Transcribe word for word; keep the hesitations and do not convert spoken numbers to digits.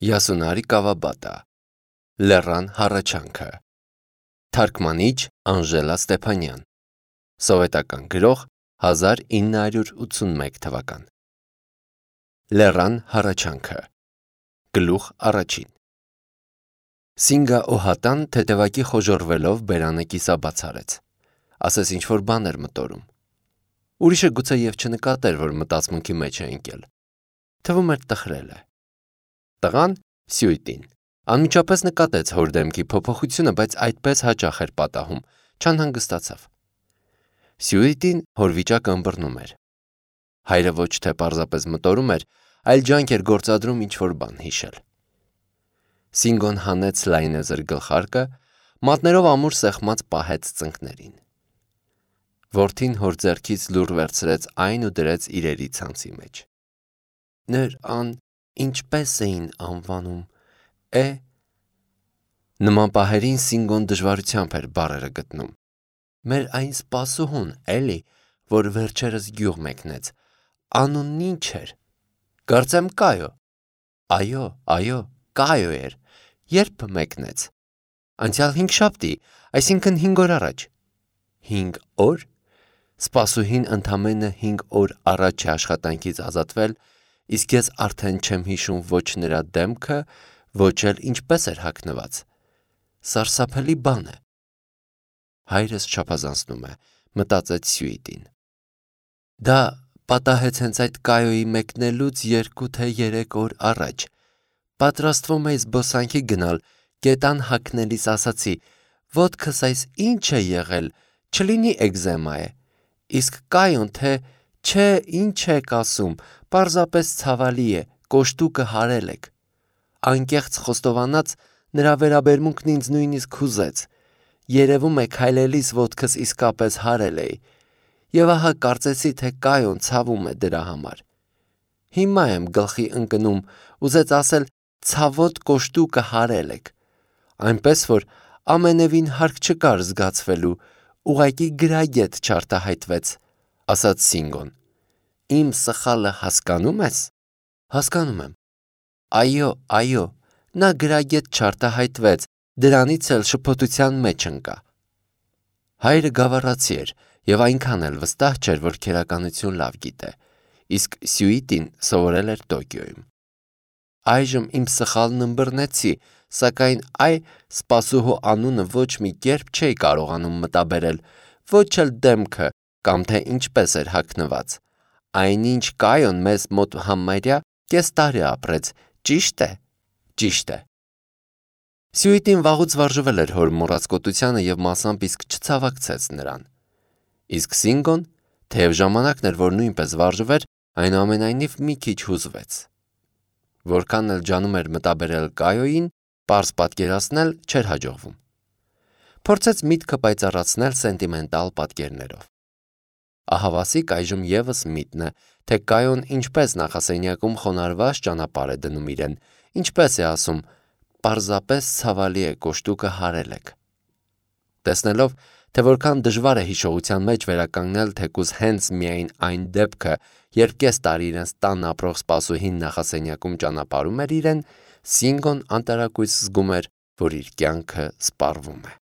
Յասունարի Կավաբատա Լեռան հառաչանքը Թարգմանիչ Անժելա Ստեփանյան Սովետական գրող հազար ինը հարյուր ութսունմեկ թվական Լեռան հառաչանքը Գլուխ առաջին Սինգա Օհատան թեթևակի խոժոռվելով բերանը կիսաբաց արեց, ասես ինչ-որ բան էր մտորում։ Ուրիշը գուցե և չնկատեր, որ մտածմունքի մեջ է ընկել։ Թվում էր տխրել է։ Տղան Սյուիտին անմիջապես նկատեց հոր դեմքի փոփոխությունը, բայց այդպես հաճախ էր պատահում, չանհանգստացավ։ Սյուիտին հոր վիճակը ըմբռնում էր։ Հայրը ոչ թե պարզապես մտորում էր, այլ ջանք էր գործադրում ինչ-որ բան հիշել։ Սինգոն հանեց լայնեզր գլխարկը, մատներով ամուր սեղմած պահեց ծնկներին։ Որդին հոր ձեռքից լուռ վերցրեց այն ու դրեց իրերի ցանցի մեջ։ Նրան ինչպես էին անվանում, է… Նման պահերին Սինգոն դժվարությամբ էր բառերը գտնում։ Մեր այն սպասուհուն, էլի, որ վերջերս գյուղ մեկնեց, անունն ինչ էր։ Կարծեմ Կայո։ Այո, այո, Կայո էր։ Երբ մեկնեց։ Անցյալ հինգշաբթի, այսինքն հինգ օր առաջ։ Հինգ օր։ Սպասուհին ընդամենը հինգ օր առաջ է աշխատանքից ազատվել, իսկ ես արդեն չեմ հիշում ոչ նրա դեմքը, ոչ էլ ինչպես էր հագնված։ Սարսափելի բան է։ Հայրս չափազանցնում է, մտածեց Սյուիտին։ Դա պատահեց հենց այդ Կայոյի մեկնելուց երկու թե երեք օր առաջ։ Պատրաստվում էի զբոսանքի գնալ, գետան հագնելիս ասացի. ոտքս այս ինչ է եղել, չլինի էկզեմա է։ Իսկ Կայոն թե չէ ինչ եք ասում, պարզապես ցավալի է, կոշտուկը հարել եք։ Անկեղծ խոստովանած, նրա վերաբերմունքն ինձ նույնիսկ հուզեց։ Երևում է քայլելիս ոտքս իսկապես հարել էի։ Եվ ահա կարծեցի, թե Կայոն ցավում է դրա համար։ Հիմա եմ գլխի ընկնում, ուզեց ասել ցավոտ կոշտուկը հարել եք։ Այնպես որ ամենևին հարկ չկար զգացվելու, ուղղակի գրագետ չարտահայտվեց, ասաց Սինգոն։ Իմ սխալը հասկանում ես։ Հասկանում եմ։ Այո, այո, նա գրագետ չարտահայտվեց, դրանից էլ շփոթության մեջ ընկա։ Հայրը գավառացի էր և այնքան էլ վստահ չէր, որ քերականություն լավ գիտե, իսկ Սյուիտին սովորել էր Տոկիոյում։ Այժմ իմ սխալն ըմբռնեցի, սակայն այ սպասուհու անունը ոչ մի կերպ չէի կարողանում մտաբերել, ոչ էլ դեմքը կամ թե ինչպես էր հագնված։ Այնինչ Կայոն մեզ մոտ համարյա կես տարի ապրեց, ճի՞շտ է։ Ճիշտ է։ Սյուիտին վաղուց վարժվել էր հոր մոռացկոտությանը և մասամբ իսկ չցավակցեց նրան։ Իսկ Սինգոն, թեև ժամանակն էր, որ նույնպես վարժվեր, այնուամենայնիվ մի քիչ հուզվեց։ Որքան էլ ջանում էր մտաբերել Կայոյին, պարզ պատկերացնել չէր հաջողվում։ Փորձեց միտքը պայծառացնել սենտիմենտալ պատկերներով։ Ահավասիկ այժմ ևս միտն է, թե Կայոն ինչպես նախասենյակում խոնարհված ճանապարհ է դնում իրեն, ինչպես է ասում, պարզապես ցավալի է, կոշտուկը հարել եք։ Տեսնելով, թե որքան դժվար է հիշողության մեջ վերականգնել թեկուզ հենց միայն այն դեպքը, երբ կես տարի իրենց տանն ապրող սպասուհին նախասենյակում ճանապարհում էր իրեն, Սինգոն անտարակույս զգում էր, որ իր կյանքը սպառվում է։